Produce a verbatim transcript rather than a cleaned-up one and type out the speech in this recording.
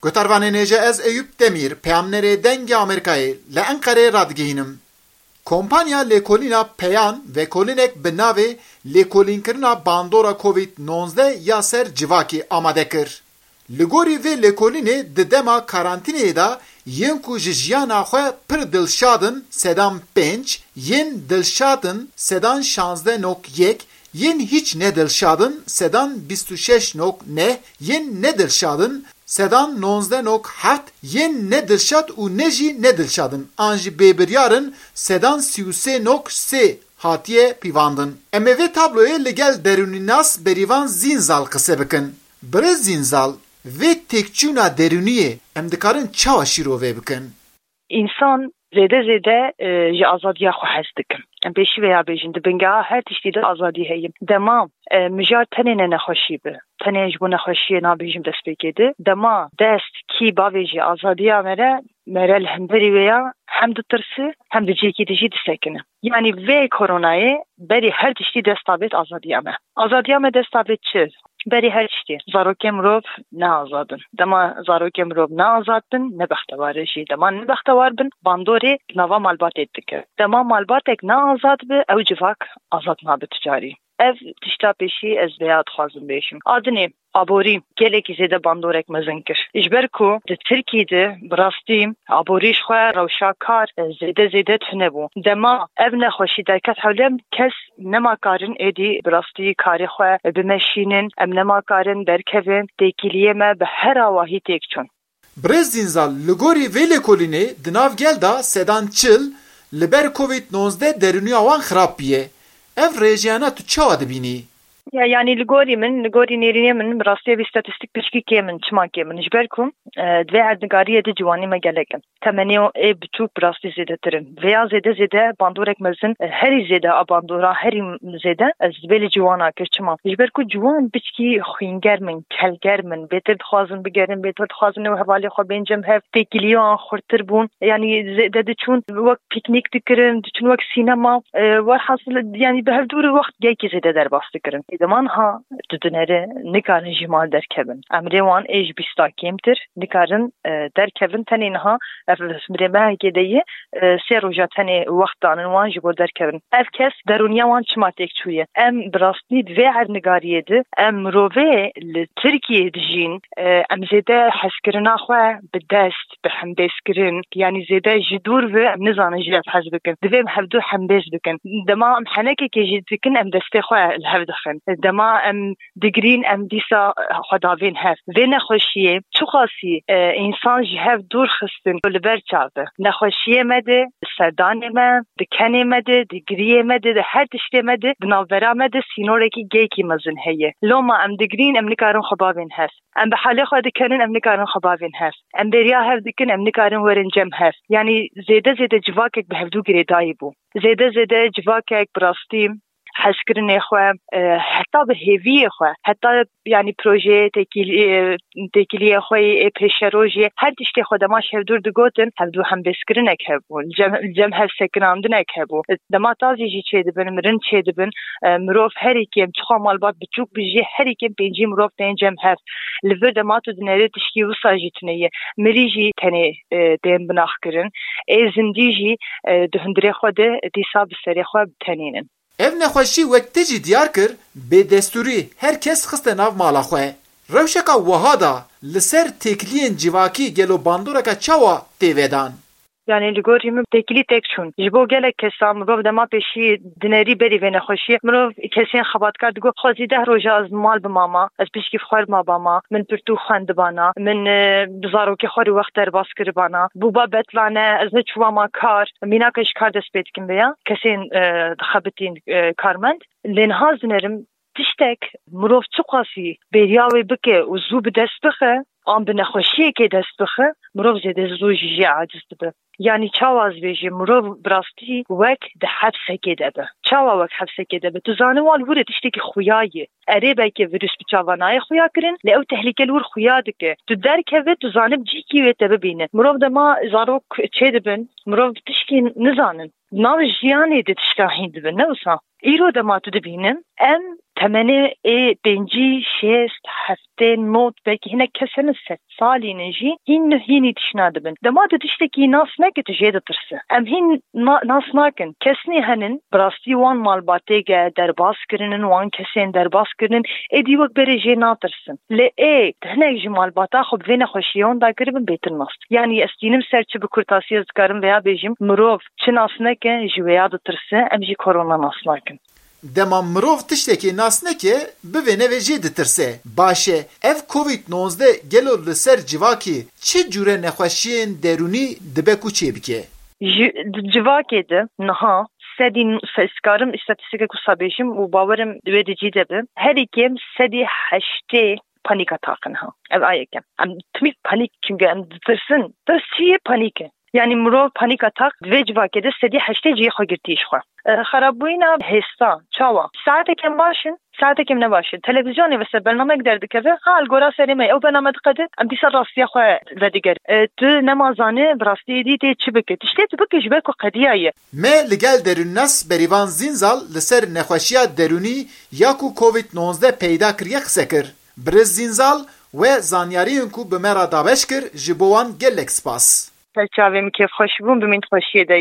Guhdarvanên hêja, ez Eyûp Demîr, peyamnerê Dengê Amerîkayê, li Enqereyê radigihînim. Kompanya lêkolîna Peyan vekolînek bi navê Lêkolînkirina Bandora Covid nonzdeh ya ser civakê amade kir. Li gorî vê lêkolînê, di dema karantîneyê de yên ku ji jiyana xwe pir dilşad in, sedan pênc, yên dilşad in, sedan şazdeh nok yek, yên hîç ne dilşad in, sedan bîst û şeş nok neh, yên ne dilşad in, sedan nonzdeh nok heft, yên ne dilşad û ne jî ne dilşad in, an jî bêbiryar in, sedan sî û sê nok sê hatiye pîvandin. Em ê vê tabloyê li gel derûnînas Berîvan Zînzal qise bikin. Birêz Zînzal, vê têkçûna derûniyê em dikarin çawa şîrove bikin? Însan zêde zêde, e, ji azadiya xwe hez dikin. Em pêşî vêya bêjin, di bingeha her tiştî de azadî heye. Dema, e, mijar tenê ne nexweşî be, tenê ji bo nexweşiyê nabêjim destpêkê de. Dema dest kî bavêjî azadiya me re, me re li hemberî wê ya hem ditirsi, hem di cihekî dijî disekine. Yanî vê koronayê berî her tiştî dest dabêt azadiya me. Azadiya me dest dabêt çi? Berî her tiştî. Zarokê mirov ne azad in. Dema zarokê mirov ne azad bin, ne bextewar e jî. Dema ne bextewar bin, bandorê nava malbatê dike. Dema malbatek ne azad bi, ew civak azad nabe tu carî. Ev tişta pêşî ez vêya dixwazim bêjim. A dinê, aborî gelekî zêde bandorek mezin kir. Ji ber ku di Tirkî de bi rastî aborî ji xwe rewşa kar zêde zêde tune bû. Dema ev nexweşî derket hewlem, kes nema karin êdî bi rastî karê xwe bimeşînin, em nema karin derkevin, têkiliyê me bi her awahî têk çûn. Birêz Zînzal, li gorî vê lêkolînê di nav gel de sedan çil li ber Covid nonzdeh derûniya wan xirab bûye. Ev rêjeyana tu çawa dibînî? Ya, yanî li gorî min, li gorî nêrînê min, bi rastî vî statîstîk piçkî kêm in. Çima kêm in? Ji ber ku, e, di vê erdnigariyê de ciwanî me gelek in. Temenê ê biçûk bi rastî zêdetir in. Vêya zêde zêde bandorek mezin, e, herî zêde a bandora, herî zêde ez dibê li ciwana kir. Çima? Ji ber ku ciwan biçkî xwîngerm in, kelgerm in, bêtir dixwazin bigerin, bêtir dixwazin û hevalê xwe bên cem hev, têkiliyê wan xurtir bûn. Yanî zêde diçûn wek pîknîk dikirin, diçûn wek sînema. E, werhasil, yanî bi hevdû re wext gelkî zêde derbas dikirin. Ê dema niha tu dinere nikarin ji mal derkevin. Emrê wan ê ji bîsta kêmtir nikarin, e, derkevin. Tenê niha ev birêmehekê de ye, e, sê roja tenê wext danin wan ji bo derkevin. Ev kes derûniya wan çima têk çûye? Em bi rastî di vê erdnigariyê de em mirovê li Tirkiyeyê dijîn, e, em zêde hezkirina xwe bi dest, bi hembêzkirin, yanî zêde ji dûr ve em nizanin ji hev hez bikin. Divê em hevdu hembêz bikin. Dema em henekekê jî dikin, em destê xwe li hev dixin. Dema em digirîn, em dîsa xwe davên hev. Vê nexweşiyê çiqasî, e, însan ji hev dûr xistin li ber çav e. Nexweşiyê me de, di serdanê me, di kenê me de, di giriyê me de, di her tiştê me de, di navbera me de sînorekî gelkî mezin heye. Loma em digirîn, em nikarin xwe bavên hev. Em bi halê xwe dikenin, em nikarin xwe bavên hev. Em bêriya hev dikin, em nikarin werin cem hev. Yanî zêde zêde civakek bi hevdû girêdayî bû. Zêde zêde civakek bi rastî hezkirinê xwe, e, heta bi hêviyê xwe, heta, yanî, projeyê têkilî-, e, têkiliyê xwe yê pêşerojê, her tiştê xwe dema ji hevdûr digotin, hevdû hembêzkirinek hebû, li cem, li cem hev sekinandinek hebû. Dema tazî jî çêdibin, mirin çêdibin, e, mirov herî kêm, çiqa malbat biçûk bi jî, herî kêm pêncî mirov tên cem hev. Li vir dema tu dinêrî tişkî wisa jî tune ye. Mirî jî tenê, e, tên binaxkirin. Ê zindî jî, e, di hundirê xwe de dîsa bi serê xwe bi tenê nin. Ev nexweşî, wek te jî diyar kir, bêdestûrî her kes xiste nav mala xwe. Rewşeka wiha de li ser têkiliyên civakî gelo bandoreke çawa tê vedan? Yanî li gorî min têkilî têk çûn. Ji bo gelek kesan mirov dema pêşî dinêrî berî vê nexweşiyê, mirov kesên xebatkar digot, xwezî deh roja ez mal bimama, ez pişkî xwer mabama, min pirtûk xwendibana, min, e, bi zarokê xwe re wext derbas kiribana, bûba betlane, ez neçûbama kar, mînaka ji kar dest pê dikin vêya, kesên, e, dixebitîn, e, karmend. Lê niha ez dinerim, tiştek mirov çiqasî bêriya wê bike û zû bi dest bixe, an bi nexweşiyekê dest bixe, mirov zêde zû ji jê aciz dibe. Yanî çawa ez bêjim, mirov bi rastî wek di hepsekê de be. Çawa wek hepsekê de be? Tu zanî wan li wir e tiştekî xuya ye. Erê, belkî vîrus bi çava nayê xuya kirin, lê ew tehlîke li wir xuya dike. Tu derkeve, tu zanî bi cihekî wê te bibîne. Mirov dema zarok çêdibin, mirov tişkî nizanin. Nav jiyanê de tişka hîn dibin, ne wisa? Îro dema tu dibînin, em Temenê ê pêncî, şêst, heftê, nod, belkî hinek kes hene sed salî ne jî hîn hînî tişna dibin. Dema tu tiştekî nas neke, tu jê ditirse. Em hîn na-, nas nakin. Kesnî henin, bi rastî wan malbatêge derbas kirinin, wan kesên derbas kirinin, êdî wek berê jê natirsin. Lê ê, hinek ji malbata xwe bi vê nexweşiyê wan dagiribin bêtir nas. Yanî ez tînim ser çi bi kurtasî ez dikarim vêya bêjim, mirov çi nas neke, ji wêya ditirse, em jî korona nas nakin. Dema mirov tiştekê nas neke, bi vê nevê jê ditirse. Baş e, ev covid nozdeh gelo li ser civakê çi cûre nexweşiyên derûnî dibe ku çêbike? Ji, di civakê de niha sedî, se-, ez karim îstatîstîkek wisa bêjim û bawerim wê di cî de be. Herî kêm sedî heştê panîk atak in ha. Ev a yekem. Em timî panîk, çunke em ditirsin. Bes çi ye panîk e? Yanî mirov panîk atak, di vê civakê de sedî heştê cihê xwe girtî ji xwe. E, xerabbûyîna hêsta, çawa? Saetek em baş in, saetek em ne baş in. Televîzyonê ve ser bernamek derdikeve, ha, li gora serê me, ew bername diqede, em dîsa rastiya xwe vedigerin. E, tu nema zanî, bi rastî êdî tê çi bike. Tiştê tu bike ji ber ku qediya ye. Me li gel derûnnas Berîvan Zînzal li ser nexweşiya derûnî ya ku covid nozdeh peyda kiriye qise kir. Birêz Zînzal, we zanyariyên ku bi me re dabeş kir, ji bo wan gelek spas. Ser çavê min kêfxweş bûm, bimîn xweşiyê de.